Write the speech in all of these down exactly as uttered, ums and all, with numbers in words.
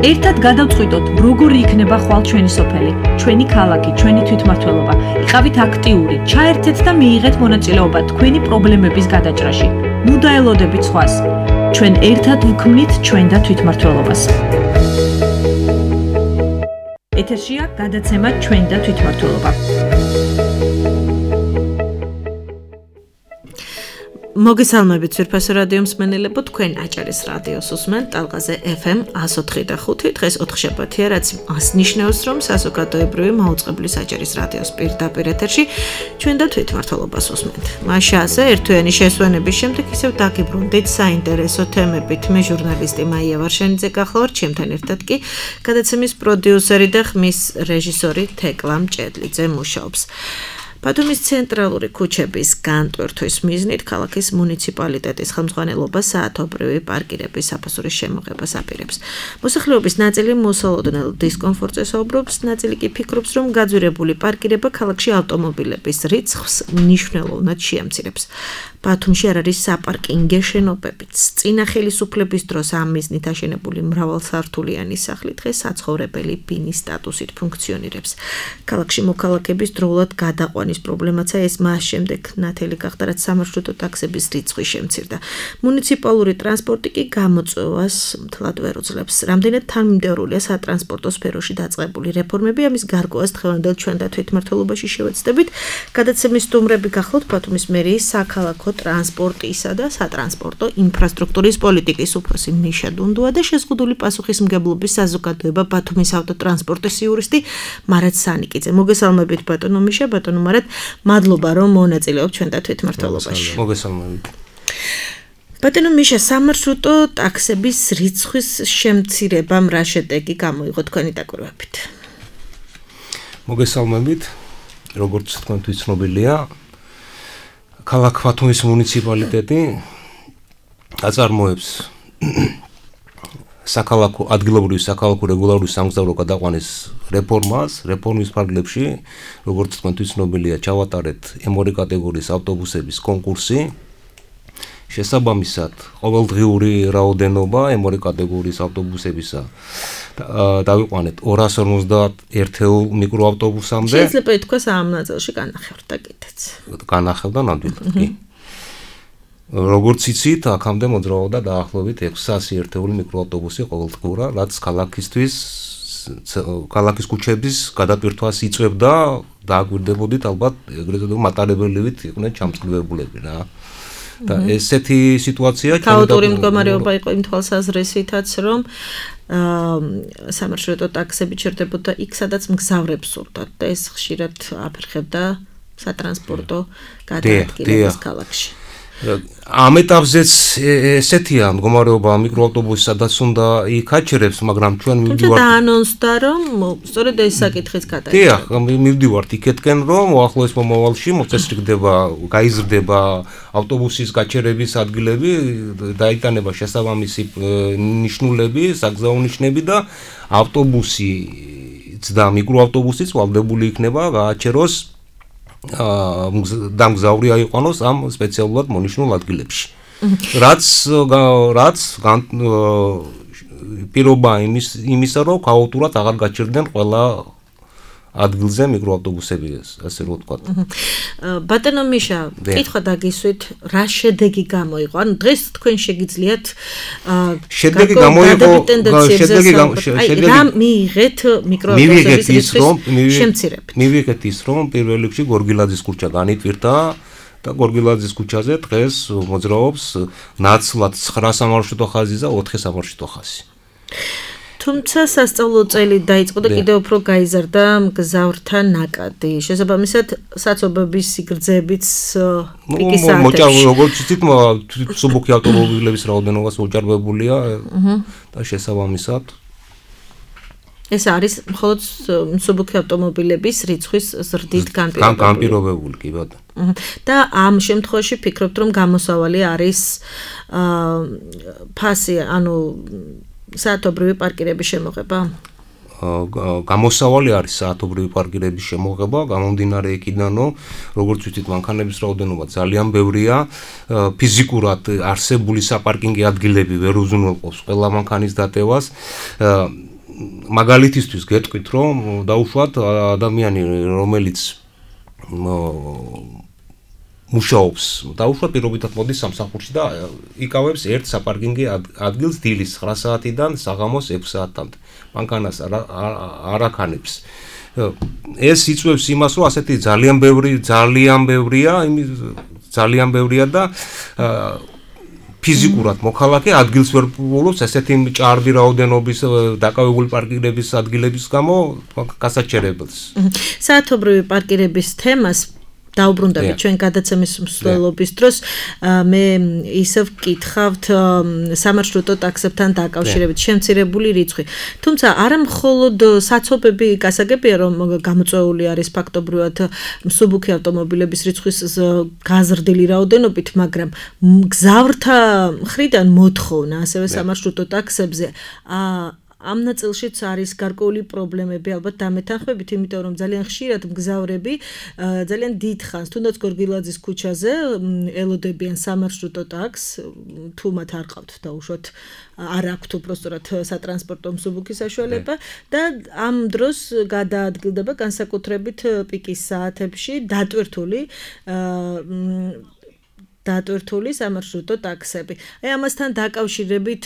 ერთად გადავწყვიტოთ, როგორი იქნება ხვალ ჩვენი სოფელი, ჩვენი ქალაქი, ჩვენი თვითმმართველობა. იყავით აქტიური, ჩაერთეთ და მიიღეთ მონაწილეობა თქვენი პრობლემების გადაჭრაში. ნუ დაელოდებით სხვას. ჩვენ ერთად ვქმნით ჩვენ და თვითმმართველობას. ეთერშია გადაცემა ჩვენ და თვითმმართველობა. მოგესალმებით ძვირფასო რადიო მსმენელებო, თქვენ აჭარის რადიოს უსმენთ ტალღაზე ეფ ემ εκατო ოთხი და ხუთი. დღეს ოთხშაბათია, რაც მას ნიშნავს, რომ საზოგადოებრივი მაუწყებლის აჭარის რადიოს პირდაპირ ეთერში ჩვენ და თვითმმართველობას უსმენთ. მაშაზე ერთთვიანი შესვენების შემდეგ ისევ დაგიბრუნდით საინტერესო თემებით. მე ჟურნალისტი მაია ვარშენიძე გახლავართ, ჩემთან ერთად კი გადაცემის პროდიუსერი და ხმის რეჟისორი თეკლა მჭედლიძე მუშაობს. ბათუმის ცენტრალური ქუჩების განტვერთვის მიზნით ქალაქის მუნიციპალიტეტის ხელმძღვანელობა საათობრივი პარკირების საფასურის შემოღებას აპირებს. მოსახლეობის ნაწილი მოსალოდნელ დისკომფორტზე საუბრობს, ნაწილი კი ფიქრობს, რომ გაძვირებული პარკირება ქალაქში ავტომობილების რიცხვს მნიშვნელოვნად შეამცირებს. ბათუმში არ არის საპარკინგე შენობებიც. წინა ხელისუფლების დროს ამ მიზნით აშენებული მრავალსართულიანი სახლი დღეს საცხოვრებელი ბინის სტატუსით ფუნქციონირებს. ქალაქში მოქალაქეების დროულად გადაყვანის პრობლემაცა ეს მას შემდეგ ნათელი გახდა, რაც სამარშრუტო ტაქსების რიცხვი შემცირდა. მუნიციპალური ტრანსპორტი კი გამოწვევას მთლად ვერ უძლებს. რამდენად თანმიმდევრულია სატრანსპორტო სფეროში დაწყებული რეფორმები, ამის გარკვევას დღევანდელ ჩვენ და თვითმმართველობაში შევეცდებით. გადაცემის სტუმრები გახლავთ ბათუმის მერიის საქალაქო ტრანსპორტისა და სატრანსპორტო ინფრასტრუქტურის პოლიტიკის უფროსი ნიშა დუნდუა და შეზღუდული პასუხისმგებლობის საზოგადოება ბათუმის ავტოტრანსპორტის იურისტი მარად სანიკიძე. მოგესალმებით ბატონო მიშა, ბატონო მარად, მადლობა რომ მონაწილეობთ ჩვენ და თვითმმართველობაში. მოგესალმებით. ბატონო მიშა, სამარშრუტო ტაქსების რიცხვის შემცირებამ რა შედეგი გამოიღო თქვენი დაკვირვებით? მოგესალმებით. როგორც თქვენთვის ცნობილია, ქალაქ ბათუმის მუნიციპალიტეტი აწარმოებს საქალაქო ადგილობრივი საქალაქო რეგულარული სამგზავრო გადაყვანის რეფორმას. რეფორმის ფარგლებში, როგორც თქვენთვის ცნობილია, ჩავატარეთ ემ ორი კატეგორიის ავტობუსების კონკურსი. შესაბამისად, ყოველდღიური რაოდენობა ემ ორი კატეგორიის ავტობუსებისა დავიყვანეთ ორას ორმოცდაერთეულ მიკროავტობუსამდე. შეიძლება ითქვას ამ ნაწილში განახევდა კიდეც. განახევდა ნამდვილად კი. როგორც იცით, აქამდე მოძრაობდა დაახლოებით ექვსასი ერთეული მიკროავტობუსი ყოველდღურად, რაც ქალაქისთვის ქალაქის ქუჩების გადატვირთვას იწვევდა და აგვირდებოდით ალბათ ეგრეთ წოდებული მატარებელივით იყვნენ ჩამწკრივებულები რა. და ესეთი სიტუაცია ქაოტური მდგომარეობა იყო იმ თვალსაზრისითაც, რომ სამარშრუტო ტაქსები ჩერდებოდა იქ, სადაც მგზავრებს სურდათ და ეს ხშირად აფერხებდა სატრანსპორტო გადაადგილებას ქალაქში. ამ ეტაპზეც ესეთია მდგომარეობა მიკროავტობუსის, სადაც უნდა იქ აჩერებს, მაგრამ ჩვენ მივდივართ. თუმცა დაანონსდა, რომ სწორედ ეს საკითხიც გადაიჭრა. დიახ, მივდივართ იქეთკენ, რომ უახლოეს მომავალში მოწესრიგდება, გაიზრდება ავტობუსის გაჩერების ადგილები, დაიტანება შესაბამისი ნიშნულები, საგზაო ნიშნები და ავტობუსიც და მიკროავტობუსიც ვალდებული იქნება გააჩეროს და მგზავრი აიყვანოს ამ სპეციალურად მონიშნულ ადგილებში. რაც რაც პირობა იმის იმისა, რომ ქაოტურად აღარ გაჩერდნენ ყველა ადგილზე მიკროავტობუსები, ასე რომ ვთქვათ. ბატონო მიშა, კითხვა დაგისვით, რა შედეგი გამოიღო? ანუ დღეს თქვენ შეგიძლიათ შედეგი გამოიღო, შედეგი შედეგი რა მიიღეთ მიკროავტობუსების რიცხვის შემცირებით? მივიღეთ ის, რომ პირველ რიგში გორგილაძის ქუჩა განიტვირთა და გორგილაძის ქუჩაზე დღეს მოძრაობს ნაცვლად ცხრა სამარშრუტო ხაზი და ოთხი სამარშრუტო ხაზი. თუმცა სასწავლო წელი დაიწყო და კიდევ უფრო გაიზარდა მგზავრთა ნაკადი. შესაბამისად, საცობების სიგრძეებიც პიკის ატარებს. როგორც იცით, მსუბუქი ავტომობილების რაოდენობას უჭარბებულია და შესაბამისად ეს არის მხოლოდ მსუბუქი ავტომობილების რიცხვის ზრდით განპირობებული. განპირობებული კი ბატონო. და ამ შემთხვევაში ფიქრობთ, რომ გამოსავალი არის ფასი, ანუ საათობრივი პარკირების შემოღება? გამოსავალი არის საათობრივი პარკირების შემოღება, გამომდინარე იქიდან, რომ როგორც ვთქვით, მანქანების რაოდენობა ძალიან ბევრია, ფიზიკურად არსებული საპარკინგო ადგილები ვერ უზრუნველყოფს ყველა მანქანის დატევას. მაგალითისთვის გეტყვით, რომ დაუშვათ ადამიანი, რომელიც მუშაობს, დაუშვათ პირობითად მოდის სამსახურში და იკავებს ერთ საპარკინგო ადგილს დილის ცხრა საათიდან საღამოს ექვსი საათამდე. მანქანას არ აქანებს. ეს იწვევს იმას, რომ ასეთი ძალიან ბევრი, ძალიან ბევრია, ძალიან ბევრია და ფიზიკურად მოქალაქე ადგილს ვერ პოულობს ესეთი ჭარბი რაოდენობის დაკავებული პარკირების ადგილების გამო გასაჩერებელს. საათობრივი პარკირების თემას დაუბრუნდებით ჩვენ გადაცემის მსვლელობის დროს მე ისევ ვკითხავთ სამარშრუტო ტაქსებთან დაკავშირებით შემცირებული რიცხვი. თუმცა არა მხოლოდ საცობები გასაგებია რომ გამოწვეული არის ფაქტობრივად მსუბუქი ავტომობილების რიცხვის გაზრდილი რაოდენობით, მაგრამ მგზავრთა მხრიდან მოთხოვნა ასევე სამარშრუტო ტაქსებზე ამ ნაწილშიც არის გარკვეული პრობლემები, ალბათ დამეთანხმებით, იმიტომ რომ ძალიან ხშირად მგზავრები ძალიან დიდხანს, თუნდაც გორგილაძის ქუჩაზე ელოდებიან სამარშრუტო ტაქსს, თუ მათ არ ყავთ დაუშვათ, არ აქვთ უბრალოდ სატრანსპორტო მსუბუქი საშუალება და ამ დროს გადაადგილდება განსაკუთრებით პიკის საათებში დატვირთული დატვირთული სამარშრუტო ტაქსები. აი ამასთან დაკავშირებით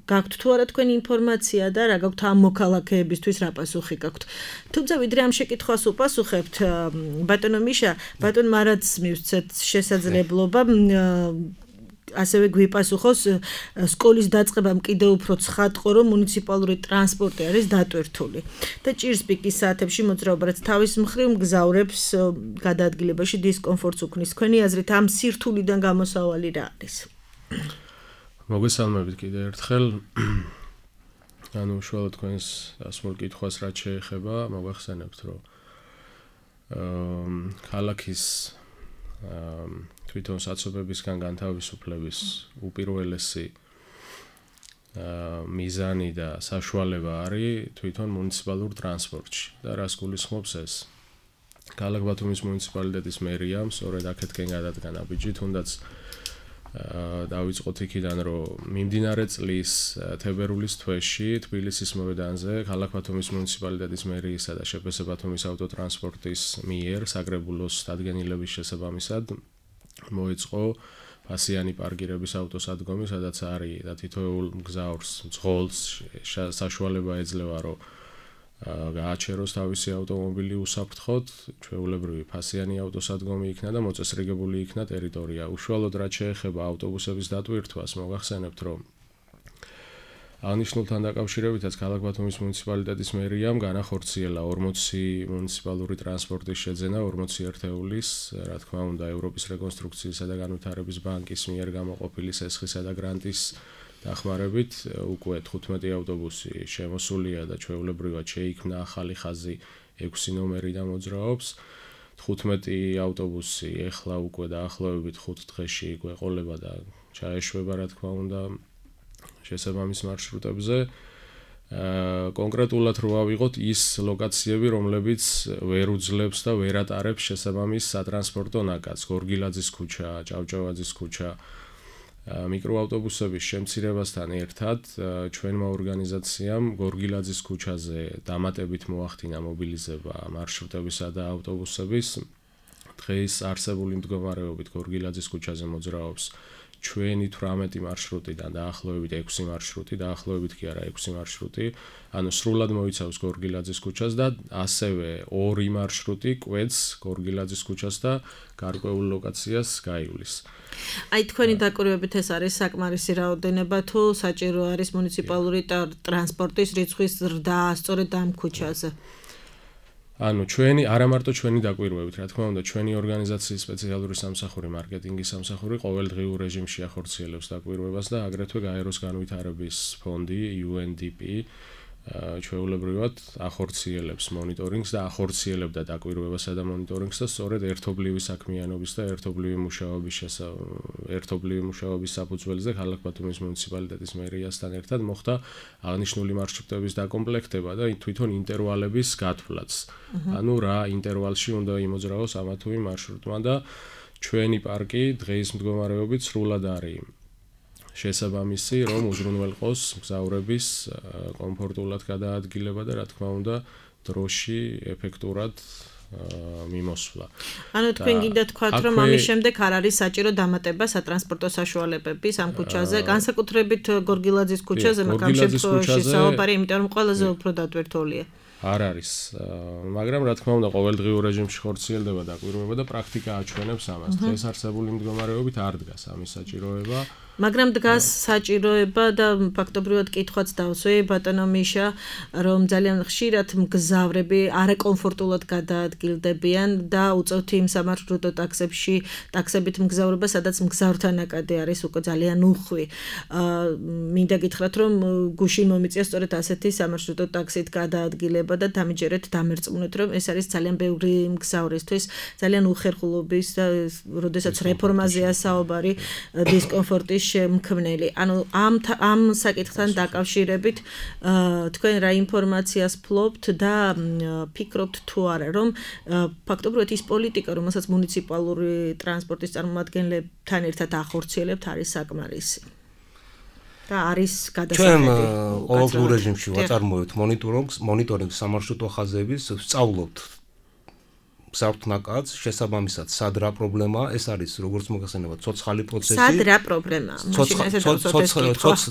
გაქვთ თუ არა თქვენი ინფორმაცია და რა გაქვთ ამ მოქალაქეებისთვის რა პასუხი გაქვთ. თუმცა ვიდრე ამ შეკითხვას უპასუხებთ, ბატონო მიშა, ბატონ მარადს მივცეთ შესაძლებლობა ასევე გვიპასუხოს სკოლის დაწყებამ კიდევ უფრო ცხადყო, რომ მუნიციპალური ტრანსპორტი არის დატვირთული და ჭირს პიკის საათებში მოძრაობა, რაც თავის მხრივ მგზავრებს გადაადგილებაში დისკომფორტს უქმნის. თქვენი აზრით ამ სირთულიდან გამოსავალი რა არის? მოგესალმებით კიდევ ერთხელ. ანუ უშუალოდ თქვენს ასმულ კითხვას რაც შეეხება, მოგახსენებთ, რომ ქალაქის თვითონ საცობებისგან განთავისუფლების უპირველესი მიზანი და საშუალება არის თვითონ მუნიციპალურ ტრანსპორტში და რას გულისხმობს ეს? ქალაქ ბათუმის მუნიციპალიტეტის მერიამ სწორედ აქეთკენ გადადგა ნაბიჯი, თუნდაც დავიწყოთ იქიდან, რომ მიმდინარე წლის თებერვლის თვეში თბილისის მოედანზე ქალაქ ბათუმის მუნიციპალიტეტის მერიისა და შპს ბათუმის ავტოტრანსპორტის მიერ საგრებულოს დადგენილების შესაბამისად მოეწყო ფასიანი პარკირების ავტოსადგომი, სადაც არის და თითოეულ მგზავრს მძღოლს საშუალება ეძლევა, რომ გააჩეროს თავისი ავტომობილი უსაფრთხოდ, ჩვეულებრივი ფასიანი ავტოსადგომი იქნა და მოწესრიგებული იქნა ტერიტორია. უშუალოდ რაც შეეხება ავტობუსების დატვირთვას, მოგახსენებთ, რომ აღნიშნულთან დაკავშირებითაც ქალაქ ბათუმის მუნიციპალიტეტის მერიამ განახორციელა ორმოცი მუნიციპალური ტრანსპორტის შეძენა ორმოცი ერთეულის, რა თქმა უნდა, ევროპის რეკონსტრუქციისა და განვითარების ბანკის მიერ გამოყოფილი სესხისა და გრანტის დახმარებით უკვე თხუთმეტი ავტობუსი შემოსულია და ჩვეულებრივად შეიქმნა ახალი ხაზი ექვსი ნომერიდან მოძრაობს. თხუთმეტი ავტობუსი ეხლა უკვე დაახლოებით ხუთ დღეში გვეყოლება და ჩაეშვება, რა თქმა უნდა, შესაბამის მარშრუტებზე. კონკრეტულად რო ავიღოთ ის ლოკაციები, რომლებიც ვერ უძლებს და ვერ ატარებს შესაბამის სატრანსპორტო ნაკადს, გორგილაძის ქუჩა, ჭავჭავაძის ქუჩა, მიკროავტობუსების შემცირებასთან ერთად ჩვენმა ორგანიზაციამ გორგილაძის ქუჩაზე დამატებით მოახდინა მობილიზება მარშრუტებისა და ავტობუსების. დღეს არსებული მდგომარეობით გორგილაძის ქუჩაზე მოძრაობს ჩვენი თვრამეტი მარშრუტიდან დაახლოებით ექვსი მარშრუტი, დაახლოებით კი არა ექვსი მარშრუტი, ანუ სრულად მოიცავს გორგილაძის ქუჩას და ასევე ორი მარშრუტი კვეთს გორგილაძის ქუჩას და გარკვეულ ლოკაციას გაივლის. აი თქვენი დაკვირვებით ეს არის საკმარისი რაოდენობა თუ საჭირო არის მუნიციპალური ტრანსპორტის რიცხვის ზრდა სწორედ ამ ქუჩაზე? ანუ ჩვენი არა მარტო ჩვენი დაკვირვებით, რა თქმა უნდა, ჩვენი ორგანიზაციის სპეციალური სამსახური, მარკეტინგის სამსახური ყოველდღიურ რეჟიმში ახორციელებს დაკვირვებას და აგრეთვე გაეროს განვითარების ფონდი იუ ენ დი პი ჩვეულებრივად ახორციელებს მონიტორინგს და ახორციელებდა დაკვირვებასა და მონიტორინგს და სწორედ ერთობლივი საქმიანობის და ერთობლივი მუშაობის ერთობლივი მუშაობის საფუძველზე ქალაქ ბათუმის მუნიციპალიტეტის მერიასთან ერთად მოხდა აღნიშნული მარშრუტების დაკომპლექტება და თვითონ ინტერვალების გათვლაც. ანუ რა ინტერვალში უნდა იმოძრავოს ამა თუ იმ მარშრუტმა და ჩვენი პარკი დღეის მდგომარეობით სრულად არის შესაბამისი, რომ უზრუნველყოს მგზავრების კომფორტულად გადაადგილება და რა თქმა უნდა დროში ეფექტურად მიმოსვლა. ანუ თქვენ გინდა თქვათ, რომ ამის შემდეგ არ არის საჭირო დამატება სატრანსპორტო საშუალებების ამ ქუჩაზე, განსაკუთრებით გორგილაძის ქუჩაზე, მაგრამ შემთხვევაში საუბარი, იმიტომ რომ ყველაზე უფრო დატვირთულია. არ არის, მაგრამ რა თქმა უნდა ყოველდღიურ რეჟიმში ხორციელდება დაკვირვება და პრაქტიკა აჩვენებს ამას. დღეს არსებული მდგომარეობით არ დგას ამის საჭიროება. მაგრამ დგას საჭიროება და ფაქტობრივად კითხვაც დავსვი ბატონო მიშა, რომ ძალიან ხშირად მგზავრები არაკომფორტულად გადაადგილდებიან და უწევთ იმ სამარშრუტო ტაქსებში, ტაქსებით მგზავრობა, სადაც მგზავრთა ნაკადი არის უკვე ძალიან უხვი. მინდა გითხრათ, რომ გუშინ მომიწია სწორედ ასეთი სამარშრუტო ტაქსით გადაადგილება და დამიჯერეთ, დამერწმუნეთ, რომ ეს არის ძალიან ბევრი მგზავრისთვის ძალიან უხერხულობის და როდესაც რეფორმაზეა საუბარი დისკომფორტის შემქმნელი. ანუ ამ ამ საკითხთან დაკავშირებით თქვენ რა ინფორმაციას ფლობთ და ფიქრობთ თუ არა, რომ ფაქტობრივად ის პოლიტიკა, რომელსაც მუნიციპალური ტრანსპორტის წარმომადგენლებთან ერთად ახორციელებთ, არის საკმარისი. და არის გადასახედი. ჩვენ ყოველდღიურ რეჟიმში ვაწარმოებთ მონიტორინგს, მონიტორინგს სამარშრუტო ხაზების, ვსწავლობთ მგზავრთნაკადს, შესაბამისად, სად რა პრობლემაა, ეს არის როგორც მოგეხსენება, ცოცხალი პროცესი. სად რა პრობლემაა?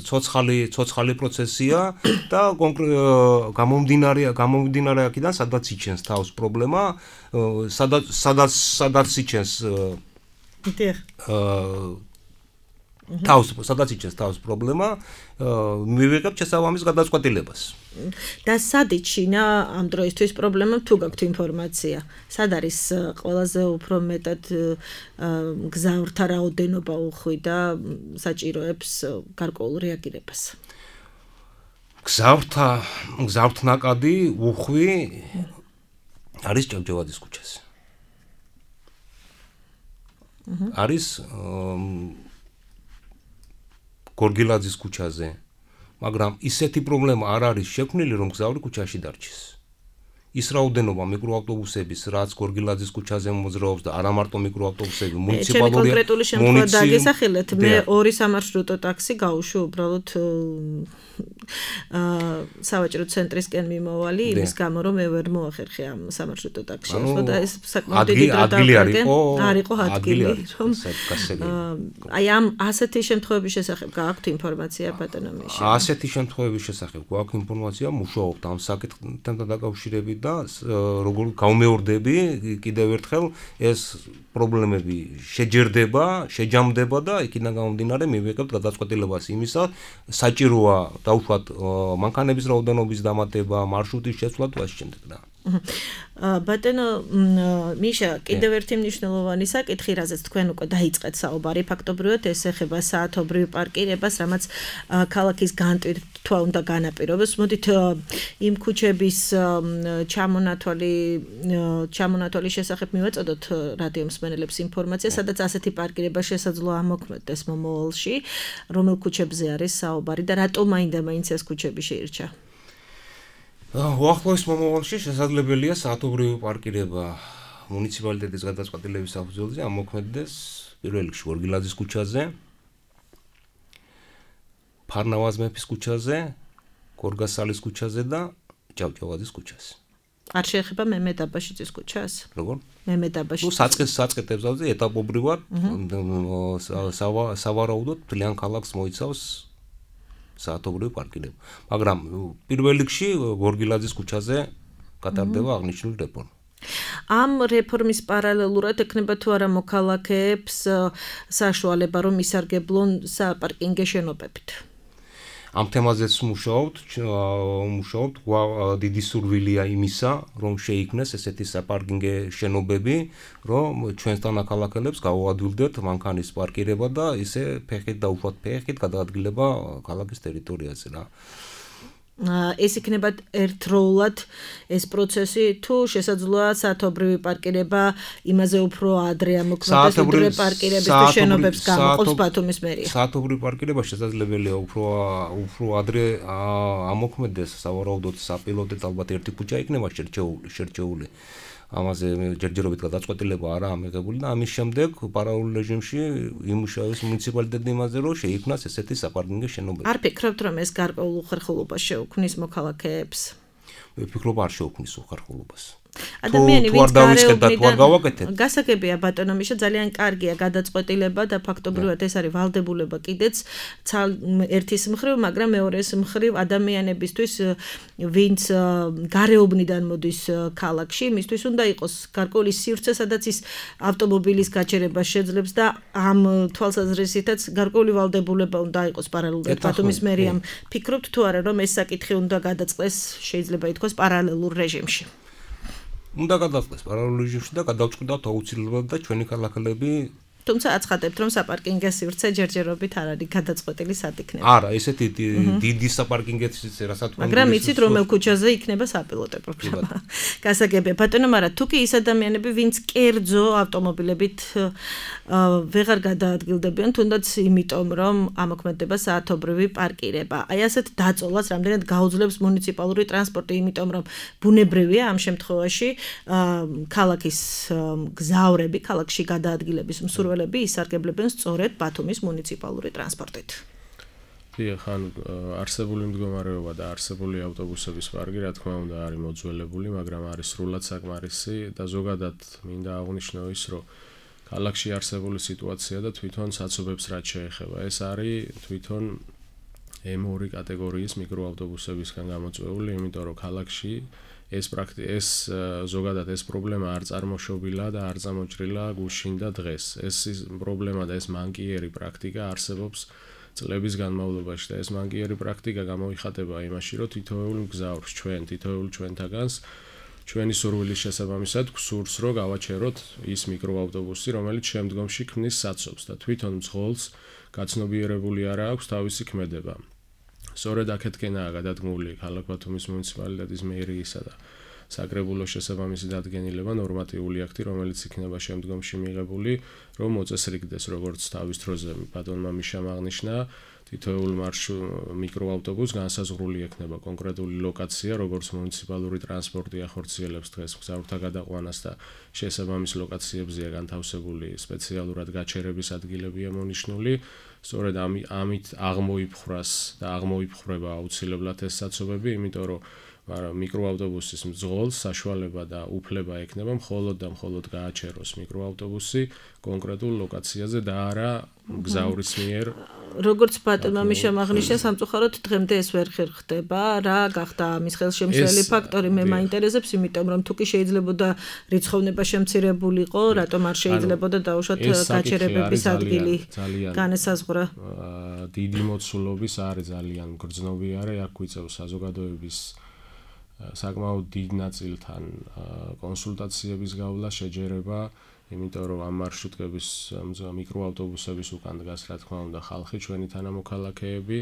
ცოცხალი, ცოცხალი პროცესია და გამომდინარე, გამომდინარე აქედან, სადაც იჩენს თავს პრობლემა, სადაც სადაც სადაც იჩენს დიახ. თავს, სადაც იჩენს თავს პრობლემა, მივიღებთ შესაბამის გადაწყვეტილებას. და სად იჩინა ამ დროისთვის პრობლემა, თუ გაქვთ ინფორმაცია? სად არის ყველაზე უფრო მეტად მგზავრთა რაოდენობა უხვი და საჭიროებს გარკვეულ რეაგირებას? მგზავრთა მგზავრთნაკადი უხვი არის ჭავჭავაძის ქუჩაზე. არის გორგილაძის ქუჩაზე, მაგრამ ისეთი პრობლემა არ არის შექმნილი, რომ მგზავრი ქუჩაში დარჩეს. ის რაოდენობა მიკროავტობუსების, რაც გორგილაძის ქუჩაზე მოძრაობს და არა მარტო მიკროავტობუსები, მუნიციპალური ჩემი კონკრეტული შემთხვევა დაგესახელეთ, მე ორი სამარშრუტო ტაქსი გავუშვი უბრალოდ სავაჭრო ცენტრისკენ მიმოვალი, იმის გამო რომ მე ვერ მოახერხე ამ სამარშრუტო ტაქსში. და ეს საკმაოდ დიდი დრო დავკარგე. არ იყო ადგილი, რომ აი ამ ასეთი შემთხვევების შესახებ გააქვთ ინფორმაცია ბატონო მიშა? ასეთი შემთხვევების შესახებ გვაქვს ინფორმაცია, მუშაობთ ამ საკითხთან დაკავშირებით და როგორ გამეორდები კიდევ ერთხელ ეს პრობლემები შეჯერდება, შეჯამდება და იქიდან გამომდინარე მივიღებთ გადაწყვეტილებას იმისა, საჭიროა დაუშვათ მანქანების რაოდენობის დამატება, მარშრუტის შეცვლა თუ ასე შემდეგ და ბატონო მიშა, კიდევ ერთი მნიშვნელოვანი საკითხი, რაზეც თქვენ უკვე დაიწყეთ საუბარი, ფაქტობრივად ეს ეხება საათობრივ პარკირებას, რამაც ქალაქის განტვირთვა უნდა განაპირობოს. მოდით იმ ქუჩების ჩამონათვალი ჩამონათვალის შესახებ მივაწოდოთ რადიო მსმენელებს ინფორმაცია, სადაც ასეთი პარკირება შესაძლოა ამოქმედდეს მომავალში, რომელ ქუჩებზე არის საუბარი და რატომ მაინდა-მაინც ეს ქუჩები შეირჩა? უახლოეს მომავალში შესაძლებელია საათობრივი პარკირება მუნიციპალიტეტის გადაწყვეტილების საფუძველზე ამოქმედდეს პირველ რიგში გორგილაძის ქუჩაზე, ფარნავაზ მეფის ქუჩაზე, გორგასალის ქუჩაზე და ჭავჭავაძის ქუჩაზე. არ შეეხება მემედ აბაშიძის ქუჩას? როგორ? მემედ აბაშიძის. ნუ საწყის საწყეთებზე ეტაპობრივად სავარაუდოდ თლიან ქალაქს მოიცავს საათობრივი პარკირება. მაგრამ პირველ რიგში გორგილაძის ქუჩაზე გატარდება აღნიშნული რეფორმა. ამ რეფორმის პარალელურად ექნება თუ არა მოქალაქეებს საშუალება, რომ ისარგებლონ საპარკინგო შენობებით? ამ თემაზეც მუშაობთ, მუშაობთ, დიდი სურვილია იმისა, რომ შეიქმნეს ესეთი საპარკინგო შენობები, რომ ჩვენთან ახალახელებს გავუადვილდეთ მანქანის პარკირება და ისე ფეხით და უხვად ფეხით გადაადგილება ქალაქის ტერიტორიაზე რა. ეს იქნება ერთდროულად ეს პროცესი თუ შესაძლოა საათობრივი პარკირება იმაზე უფრო ადრე ამოქმედდეს ვიდრე პარკირების თუ შენობებს გამოყოფს ბათუმის მერია. საათობრივი პარკირება შესაძლებელია უფრო უფრო ადრე ამოქმედდეს, სავარაუდოდ საპილოტეთ ალბათ ერთი ქუჩა იქნება შერჩეული. ამაზე ჯერჯერობით გადაწყვეტილება არა ამიღებული და ამის შემდეგ პარალელურ რეჟიმში იმუშავებს მუნიციპალიტეტი იმაზე, რომ შეიქმნას ესეთი საპარკინგო შენობები. არ ფიქრობთ, რომ ეს გარკვეულ უხერხულობას შეუქმნის მოქალაქეებს? ვფიქრობ, არ შეუქმნის უხერხულობას. ადამიანი ვინც გარეუბნიდან გასაგებია ბატონო მიშა ძალიან კარგია გადაწყვეტილება და ფაქტობრივად ეს არის ვალდებულება კიდეც ერთის მხრივ, მაგრამ მეორეს მხრივ ადამიანებისთვის ვინც გარეუბნიდან მოდის ქალაქში, მისთვის უნდა იყოს გარკვეული სივრცე, სადაც ის ავტომობილის გაჩერებას შეძლებს და ამ თვალსაზრისითაც გარკვეული ვალდებულება უნდა იყოს პარალელურად ბათუმის მერიამ. ფიქრობთ თუ არა რომ ეს საკითხი უნდა გადაწყდეს, შეიძლება ითქვას პარალელურ რეჟიმში? უნდა გადაწყდეს პარალელურ რეჟიმში და გადავწყვიტოთ აუცილებლად და ჩვენი ქალაქელები თუმცა აცხადებთ რომ საპარკინგო სივრცე ჯერჯერობით არ არის გადაწყვეტილი სად იქნება. არა, ესეთი დიდი საპარკინგეთის რასაც თქვენ მაგრამ იცით რომელ ქუჩაზე იქნება საპილოტე პროგრამა. გასაგებია ბატონო, მაგრამ თუ კი ის ადამიანები ვინც კერძო ავტომობილებით ვეღარ გადაადგილდებიან, თუნდაც იმიტომ რომ ამოქმედება საათობრივი პარკირება. აი ასეთ დაწოლას რამდენად გაუძლებს მუნიციპალური ტრანსპორტი, იმიტომ რომ ბუნებრივია ამ შემთხვევაში ქალაქის გზავრები, ქალაქში გადაადგილების მსურველები ისარგებლებენ სწორედ ბათუმის მუნიციპალური ტრანსპორტით. დიახ, ანუ არსებული მდგომარეობა და არსებული ავტობუსების პარკი, რა თქმა უნდა, არის მოძველებული, მაგრამ არის სრულად საკმარისი და ზოგადად მინდა აღვნიშნო ის, რომ ქალაქში არსებული სიტუაცია და თვითონ საცობებს რაც შეეხება, ეს არის თვითონ ემ ორი კატეგორიის მიკროავტობუსებისგან გამოწვეული, იმიტომ რომ ქალაქში ეს პრაქტი ეს ზოგადად ეს პრობლემა არ წარმოშობილა და არ წამოჭრილა გუშინ და დღეს. ეს პრობლემა და ეს მანკიერი პრაქტიკა არსებობს წლების განმავლობაში და ეს მანკიერი პრაქტიკა გამოიხატება იმაში, რომ თითოეულ მგზავრს ჩვენ, თითოეულ ჩვენთაგანს ჩვენი სურვილის შესაბამისად გვსურს, რომ გავაჩეროთ ის მიკროავტობუსი, რომელიც შემდგომში ქმნის საცობს და თვითონ მძღოლს გაცნობიერებული არა აქვს თავისი ქმედება. სწორედ აქეთკენაა გადადგმული ქალაქ ბათუმის მუნიციპალიტეტის მერიისა და საკრებულოს შესაბამისი დადგენილება ნორმატიული აქტი, რომელიც იქნება შემდგომში მიღებული, რომ მოწესრიგდეს როგორც თავის დროზე ბატონმა მიშამ აღნიშნა, თითოეულ მიკროავტობუსს განსაზღვრული ექნება კონკრეტული ლოკაცია, როგორც მუნიციპალური ტრანსპორტი ახორციელებს დღეს მგზავრთა გადაყვანას და შესაბამის ლოკაციებზეა განთავსებული სპეციალურად გაჩერების ადგილებია მონიშნული. სწორედ ამით აღმოიფხრას და აღმოიფხრება აუცილებლად ეს საცობები, იმიტომ რომ მიკროავტობუსის მძღოლს საშუალება და უფლება ექნება მხოლოდ და მხოლოდ გააჩეროს მიკროავტობუსი კონკრეტულ ლოკაციაზე და არა მგზავრის მიერ. როგორც ბატონმა მიშამ აღნიშნა, სამწუხაროდ დღემდე ეს ვერ ხერხდება. რა გახდა ამის ხელშემშლელი ფაქტორი? მე მაინტერესებს, იმიტომ რომ თუ კი შეიძლებოდა რიცხოვნება შემცირებულიყო, რატომ არ შეიძლებოდა დაუშვათ გაჩერებების ადგილი განესაზღვრა? დიდი მოცულობის არის ძალიან მგრძნობიარე, აქ გვიწევს საზოგადოების საკმაოდ დიდ ნაწილთან კონსულტაციების გავლა, შეჯერება, იმიტომ რომ ამ მარშრუტების მიკროავტობუსების უკან დგას, რა თქმა უნდა, ხალხი, ჩვენი თანამოქალაქეები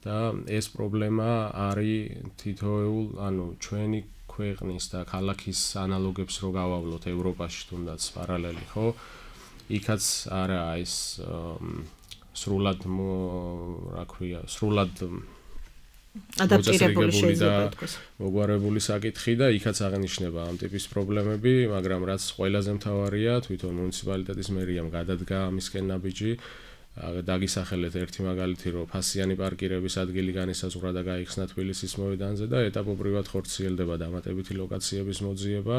და ეს პრობლემა არის თითოეულ, ანუ ჩვენი ქვეყნის და ქალაქის ანალოგებს რო გავავლოთ ევროპაში თუნდაც პარალელი, ხო? იქაც არაა ეს სრულად რა ქვია, სრულად ადაპტირებული შეიძლება ითქვას. მოგვარებული საკითხი და იქაც აღნიშნება ამ ტიპის პრობლემები, მაგრამ რაც ყველაზე მთავარია, თვითონ მუნიციპალიტეტის მერიამ გადადგა ამისკენ ნაბიჯი. დაგისახელეთ ერთი მაგალითი, რომ ფასიანი პარკირების ადგილი განისაზღვრა და გაიხსნა თბილისის მოედანზე და ეტაპობრივად ხორციელდება დამატებითი ლოკაციების მოძიება,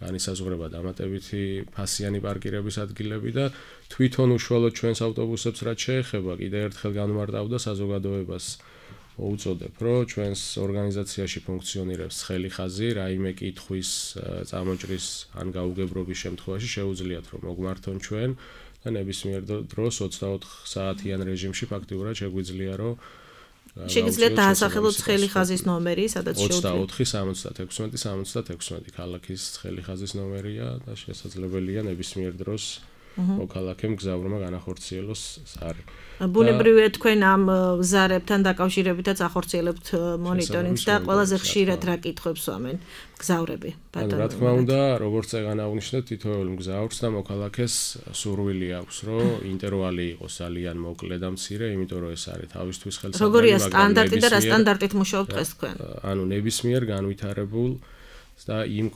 განისაზღვრება დამატებითი ფასიანი პარკირების ადგილები და თვითონ უშუალოდ ჩვენს ავტობუსებს რაც შეეხება, კიდევ ერთხელ განმარტავდა საზოგადოებას უწოდებ, რომ ჩვენს ორგანიზაციაში ფუნქციონირებს ცხელი ხაზი, რაიმე კითხვის წამოჭრის ან გაუგებრობის შემთხვევაში შეუძლიათ რომ მოგმართონ ჩვენ და ნებისმიერ დროს ოცდაოთხ საათიან რეჟიმში ფაქტიურად შეგვიძლია რომ შეგიძლიათ დაასახელოთ ცხელი ხაზის ნომერი, სადაც შეუძლიათ ოცდაოთხი სამოცდათექვსმეტი სამოცდათექვსმეტი ქალაქის ცხელი ხაზის ნომერია და შესაძლებელია ნებისმიერ დროს მოქალაქემ მგზავრმა განახორციელოს ზარი. ბუნებრივია თქვენ ამ ზარებთან დაკავშირებითაც ახორციელებთ მონიტორინგს და ყველაზე ხშირად რა კითხვებს ვამენ მგზავრები? ანუ რა თქმა უნდა, როგორც ეგან აღნიშნეთ, თითოეულ მგზავრს და მოქალაქეს სურვილი აქვს, რომ ინტერვალი იყოს ძალიან მოკლე და მცირე, იმიტომ რომ ეს არის თავისთვის ხელსაყრელი. როგორია სტანდარტი და რა სტანდარტით მუშაობთ დღეს თქვენ? ანუ ნებისმიერ განვითარებულ და იმ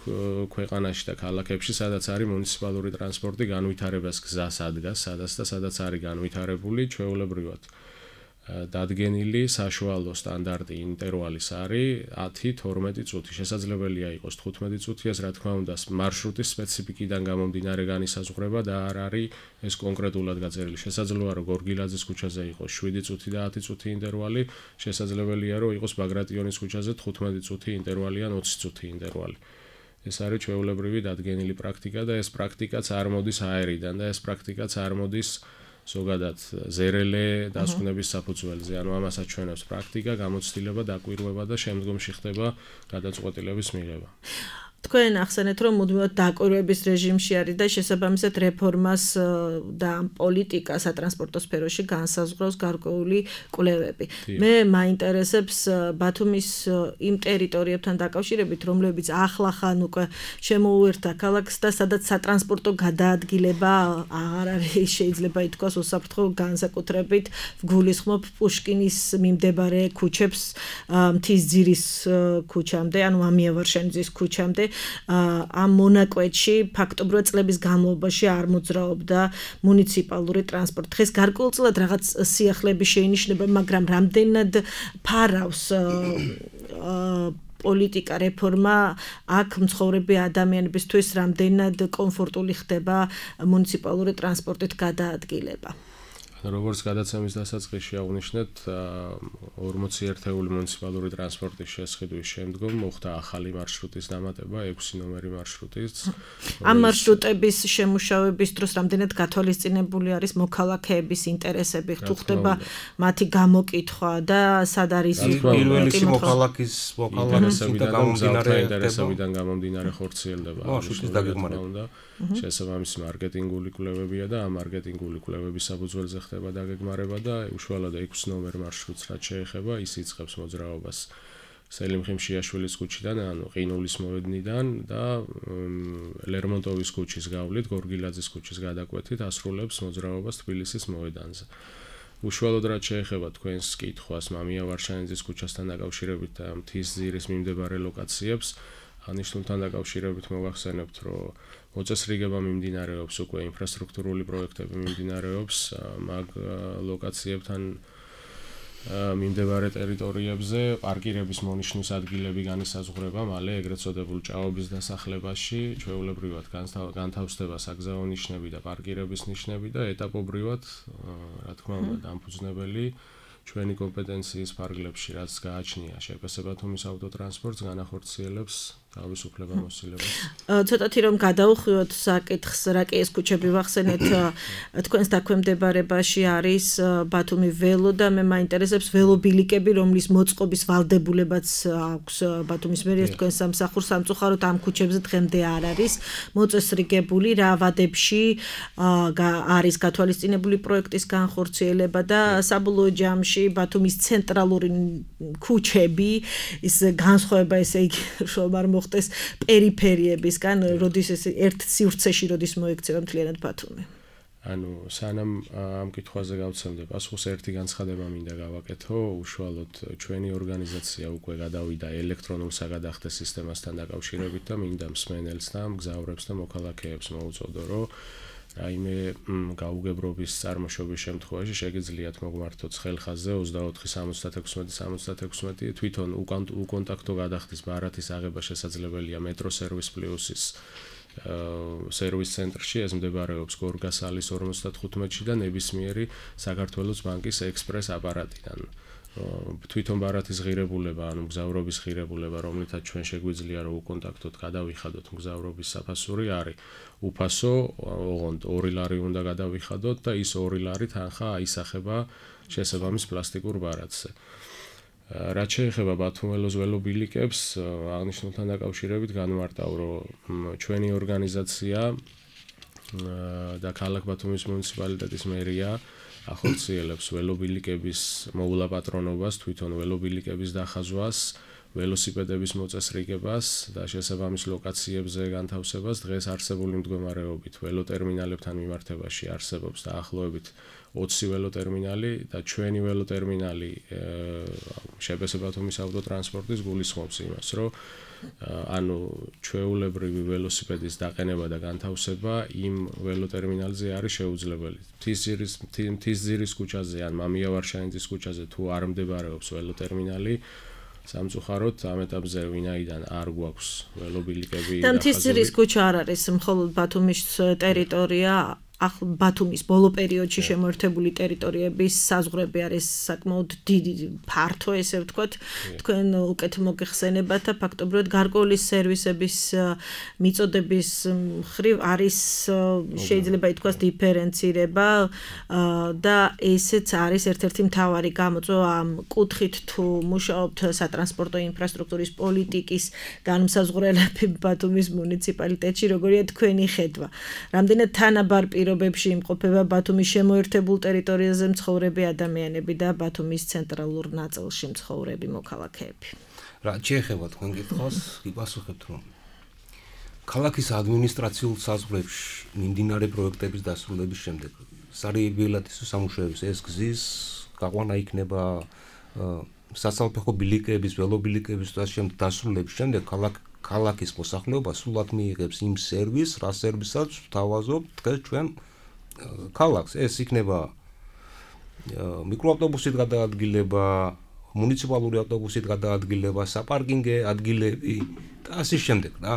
ქვეყანაში და ქალაქებში, სადაც არის მუნიციპალური ტრანსპორტი, განვითარებას გზას ადგას, სადაც და სადაც არის განვითარებული, ჩვეულებრივად დადგენილი საშუალო სტანდარტი ინტერვალის არის ათი თორმეტი წუთი. შესაძლებელია იყოს თხუთმეტი წუთი, ეს რა თქმა უნდა მარშრუტის სპეციფიკიდან გამომდინარე განისაზღვრება და არ არის ეს კონკრეტულად გაწერილი. შესაძლოა რომ გორგილაძის ქუჩაზე იყოს შვიდი წუთი და ათი წუთი ინტერვალი, შესაძლებელია რომ იყოს ბაგრატიონის ქუჩაზე თხუთმეტი წუთი ინტერვალი ან ოცი წუთი ინტერვალი. ეს არის ჩვეულებრივი დადგენილი პრაქტიკა და ეს პრაქტიკაც არ მოდის აერიდან და ეს პრაქტიკაც არ მოდის ზოგადად ზერელე დასკვნების საფუძველზე. ანუ ამასაც ჩვენებს პრაქტიკა, გამოცდილება, დაკვირვება და შემდგომში ხდება გადაწყვეტილების მიღება. თქვენ ახსენეთ, რომ მუდმივად დაკვირვების რეჟიმში არის და შესაბამისად რეფორმას და პოლიტიკა სატრანსპორტო სფეროში განსაზღვრავს გარკვეული კვლევები. მე მაინტერესებს ბათუმის იმ ტერიტორიებთან დაკავშირებით, რომლებიც ახლახან უკვე შემოუერთა ქალაქს და სადაც სატრანსპორტო გადაადგილება აღარ არის, შეიძლება ითქვას უსაფრთხო, განსაკუთრებით ვგულისხმობ პუშკინის მიმდებარე ქუჩებს, მთისძირის ქუჩამდე, ანუ ამიავარშენიძის ქუჩამდე. ამ მონაკვეთში ფაქტობრივად წლების განმავლობაში არ მოძრაობდა მუნიციპალური ტრანსპორტი. დღეს გარკვეულწილად რაღაც სიახლეები შეინიშნება, მაგრამ რამდენად ფარავს პოლიტიკა რეფორმა აქ მცხოვრები ადამიანებისთვის, რამდენად კომფორტული ხდება მუნიციპალური ტრანსპორტით გადაადგილება? როგორც გადაცემის დასაწყისში აღნიშნეთ, ორმოცი ერთეული მუნიციპალური ტრანსპორტის შესყიდვის შემდგომ მოხდა ახალი მარშრუტის დამატება, ექვსი ნომერი მარშრუტის. ამ მარშრუტების შემუშავების დროს რამდენად გათვალისწინებული არის მოქალაქეების ინტერესები, თუ ხდება მათი გამოკითხვა და სად არის პირველი მოქალაქის მოქალაქეებიდან გამომდინარე ინტერესებიდან გამომდინარე ხორციელდება. მარშრუტის დაგეგმარება. შესაბამისი მარკეტინგული კვლევებია და ამ მარკეტინგული კვლევების საფუძველზე ხდება დაგეგმარება და უშუალოდ ექვსი ნომერ მარშრუტს რაც შეეხება, ის იწყებს მოძრაობას სელიმ ხიმშიაშვილის ქუჩიდან, ანუ ყინულის მოედნიდან და ლერმონტოვის ქუჩის გავლით გორგილაძის ქუჩის გადაკვეთით ასრულებს მოძრაობას თბილისის მოედანზე. უშუალოდ რაც შეეხება თქვენს კითხვას მამიავარშენიძის ქუჩასთან დაკავშირებით და მთისძირის მიმდებარე ლოკაციებს, აღნიშნულთან დაკავშირებით მოგახსენებთ, რომ მოწესრიგება მიმდინარეობს უკვე ინფრასტრუქტურული პროექტები მიმდინარეობს მაგ ლოკაციებთან მიმდებარე ტერიტორიებზე, პარკირების მონიშნის ადგილები განისაზღვრება მალე ეგრეთ წოდებულ ჭაობის დასახლებაში, ჩვეულებრივად განთავსდება საგზაო ნიშნები და პარკირების ნიშნები და ეტაპობრივად, რა თქმა უნდა, დამფუძნებელი ჩვენი კომპეტენციის ფარგლებში, რაც გააჩნია შეფასება ბათუმის ავტოტრანსპორტს განახორციელებს თავის უფლებამოსილებას. ცოტათი რომ გადაუხვიოთ საკითხს, რა კი ეს ქუჩები ვახსენეთ, თქვენს დაქვემდებარებაში არის ბათუმი ველო და მე მაინტერესებს ველობილიკები, რომლის მოწყობის ვალდებულებაც აქვს ბათუმის მერიას, თქვენ სამსახურს სამწუხაროდ ამ ქუჩებზე დღემდე არ არის მოწესრიგებული, რა ვადებში არის გათვალისწინებული პროექტის განხორციელება და საბოლოო ჯამში ბათუმის ცენტრალური ქუჩები, ის განსხვავება ესე იგი რომ არ ხდეს პერიფერიებისგან, როდის ეს ერთ სივრცეში როდის მოექცევა მთლიანად ბათუმი. ანუ სანამ ამ კითხვაზე გავცემდე პასუხს, ერთი განცხადება მინდა გავაკეთო, უშუალოდ ჩვენი ორგანიზაცია უკვე გადავიდა ელექტრონულ საგადახდე სისტემასთან დაკავშირებით და მინდა მსმენელს და მგზავრებს და მოქალაქეებს მოუწოდო, რომ რაიმე გაუგებრობის წარმოშობის შემთხვევაში შეგიძლიათ მოგმართოთ ხელხაზზე ოცდაოთხი სამოცდათექვსმეტი სამოცდათექვსმეტი თვითონ უკონტაქტო გადახდის ბარათის აღება შესაძლებელია მეტრო სერვის პლუსის სერვის ცენტრში, ეს მდებარეობს გორგასალის ორმოცდათხუთმეტში და ნებისმიერი საქართველოს ბანკის ექსპრეს აპარატიდან. თვითონ ბარათის ღირებულება, ანუ მგზავრობის ღირებულება, რომლითაც ჩვენ შეგვიძლია რომ უკონტაქტოდ გადავიხადოთ მგზავრობის საფასური არის უფასო, ოღონდ ორი ლარი უნდა გადავიხადოთ და ის ორი ლარი თანხა აისახება შესაბამის პლასტიკურ ბარათზე. რაც შეეხება ბათუმელოს ველობილიკებს, აღნიშნულთან დაკავშირებით განმარტავ, რომ ჩვენი ორგანიზაცია და ქალაქ ბათუმის მუნიციპალიტეტის მერია ახორციელებს ველობილიკების მოულაპატრონობას, თვითონ ველობილიკების დახაზვას, ველოსიპედების მოწესრიგებას და შესაბამის ლოკაციებზე განთავსებას. დღეს არსებული მდგომარეობით ველოტერმინალებთან მიმართებაში არსებობს დაახლოებით ოცი ველოტერმინალი და ჩვენი ველოტერმინალი შპს ბათუმის ავტოტრანსპორტის გულისხმობს იმას, რომ ანუ ჩვეულებრივი ველოსიპედის დაყენება და განთავსება იმ ველოტერმინალზე არის შეუძლებელი. მთისძირის მთისძირის ქუჩაზე ან მამია ვარშავინძის ქუჩაზე თუ არ მდებარეობს ველოტერმინალი, სამწუხაროდ ამ ეტაპზე ვინაიდან არ გვაქვს ველობილიკები და მთისძირის ქუჩა არ არის მხოლოდ ბათუმის ტერიტორია, ახლა ბათუმის ბოლო პერიოდში შემოერთებული ტერიტორიების საზღვრები არის საკმაოდ დიდი, ფართო, ესე ვთქვათ, თქვენ უკეთ მოგეხსენებათ და ფაქტობრივად გარკვეული სერვისების მიწოდების მხრივ არის შეიძლება ითქვას დიფერენცირება და ესეც არის ერთ-ერთი მთავარი გამოწვევა ამ კუთხით თუ მუშაობთ სატრანსპორტო ინფრასტრუქტურის პოლიტიკის განმსაზღვრელები ბათუმის მუნიციპალიტეტში, როგორია თქვენი ხედვა. რამდენად თანაბარ პირობებში იმყოფება ბათუმის შემოერთებულ ტერიტორიაზე მცხოვრები ადამიანები და ბათუმის ცენტრალურ ნაწილში მცხოვრები მოქალაქეები. რა შეეხება თქვენ კითხვას, გიპასუხებთ რომ ქალაქის ადმინისტრაციულ საზღვრებში მიმდინარე პროექტების დასრულების შემდეგ სარიებიელად სამუშაოების ეს გზის გაყვანა იქნება სასალფეხო ბილიკების, ველობილიკების და შემდეგ დასრულების შემდეგ ქალაქ ქალაქის მოსახლეობა სულად მიიღებს იმ სერვისს, რა სერვისაც ვთავაზობთ დღეს ჩვენ ქალაქს. ეს იქნება მიკროავტობუსით გადაადგილება, მუნიციპალური ავტობუსით გადაადგილება, საპარკინგე ადგილები და ასე შემდეგ რა.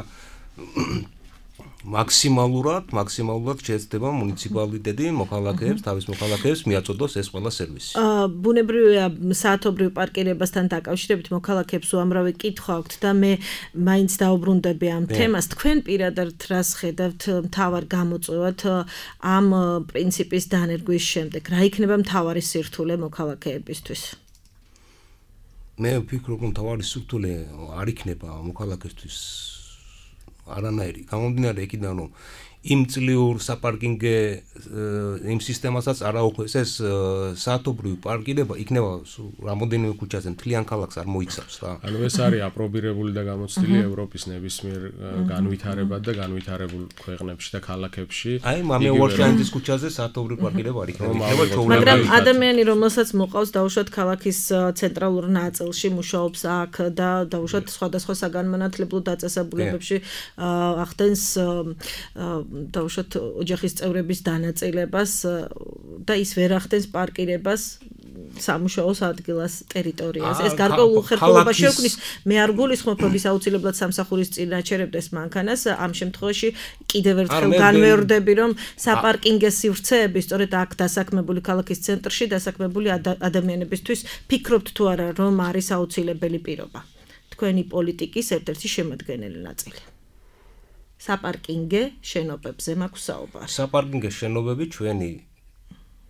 მაქსიმალურად, მაქსიმალურად შეეცდება მუნიციპალიტეტი მოქალაქეებს, თავის მოქალაქეებს მიაწოდოს ეს ყველა სერვისი. აა ბუნებრივია საათობრივ პარკირებასთან დაკავშირებით მოქალაქეებს უამრავი კითხვა აქვთ და მე მაინც დაუბრუნდები ამ თემას. თქვენ პირადად რას ხედავთ მთავარ გამოწვევად ამ პრინციპის დანერგვის შემდეგ? რა იქნება მთავარი სირთულე მოქალაქეებისთვის? მე ვფიქრობ, რომ მთავარი სირთულე არ იქნება მოქალაქეებისთვის არანაირი. გამომდინარე იქიდან რომ იმ წლიურ საპარკინგე იმ სისტემასაც არ აუხეს ეს საათობრივი პარკირება იქნება რამოდენიმე ქუჩაზე მთლიან ქალაქს არ მოიცავს რა. ანუ ეს არის აპრობირებული და გამოცდილი ევროპის ნებისმიერ განვითარებად და განვითარებულ ქვეყნებში და ქალაქებში. აი მამია ვარშავინძის ქუჩაზე საათობრივი პარკირება არ იქნება. მაგრამ ადამიანი რომელსაც მოყავს დაუშვათ ქალაქის ცენტრალურ ნაწილში მუშაობს აქ და დაუშვათ სხვადასხვა საგანმანათლებლო დაწესებულებებში ახდენს დაუშვათ ოჯახის წევრების დანაწილებას და ის ვერ ახდენს პარკირებას სამუშაოს ადგილას ტერიტორიაზე. ეს გარკვეულ უხერხულობას შექმნის. მე არ გულისხმობ, რომ ის აუცილებლად სამსახურის წინ აჩერებდეს მანქანას. ამ შემთხვევაში კიდევ ერთხელ განმეორდები, რომ საპარკინგე სივრცეები სწორედ აქ დასაქმებული ქალაქის ცენტრში დასაქმებული ადამიანებისთვის ფიქრობთ თუ არა, რომ არის აუცილებელი პირობა. თქვენი პოლიტიკის ერთ-ერთი შემადგენელი ნაწილი. საპარკინგე შენობებზე მაქვს საუბარი. საპარკინგე შენობები ჩვენი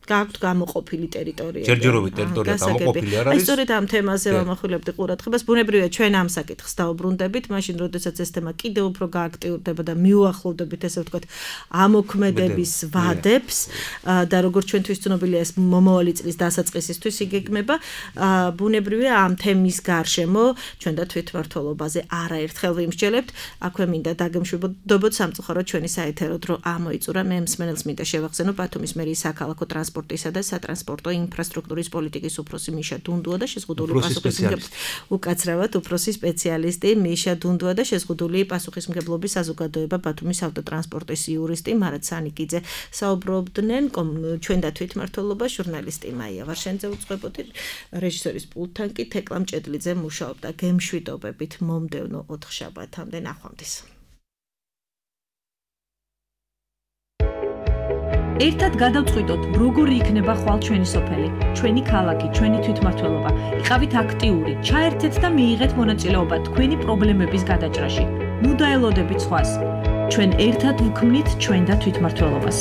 გაქვთ გამოყოფილი ტერიტორიები. ჯერჯერობით ტერიტორია გამოყოფილი არ არის. აი სწორედ ამ თემაზე ვამახვილებდი ყურადღებას. ბუნებრივია ჩვენ ამ საკითხს დაუბრუნდებით, მაშინ როდესაც ეს თემა კიდევ უფრო გააქტიურდება და მიუახლოვდებით ესე ვთქვათ ამოქმედების ვადებს და როგორც ჩვენთვის ცნობილია ეს მომავალი წლის დასაწყისისთვის იგეგმება, ბუნებრივია ამ თემის გარშემო ჩვენ და თვითმმართველობაზე არაერთხელ ვიმსჯელებთ. აქვე მინდა დაგემშვიდობოთ სამწუხაროდ ჩვენი საეთერო დრო ამოიწურა. მე მსმენელს მინდა შევახსენო ბათუმის მერიის საქალაქო ტრანსპორტისა და სატრანსპორტო ინფრასტრუქტურის პოლიტიკის უფროსი მიშა დუნდუა და შეზღუდული პასუხისმგებლობის უკაცრავად უფროსი სპეციალისტი მიშა დუნდუა და შეზღუდული პასუხისმგებლობის საზოგადოება ბათუმის ავტოტრანსპორტის იურისტი მარად სანიკიძე საუბრობდნენ ჩვენ და თვითმმართველობა ჟურნალისტი მაია ვარშენძე უწყებოდი რეჟისორის პულტთან კი თეკლა მჭედლიძე მუშაობდა. გემშვიდობებით მომდევნო ოთხშაბათამდე ნახვამდის. ერთად გადავწყვიტოთ, როგორი იქნება ხვალ ჩვენი სოფელი, ჩვენი ქალაქი, ჩვენი თვითმმართველობა. იყავით აქტიური, ჩაერთეთ და მიიღეთ მონაწილეობა თქვენი პრობლემების გადაჭრაში. ნუ დაელოდებით სხვას. ჩვენ ერთად ვქმნით ჩვენ და თვითმმართველობას.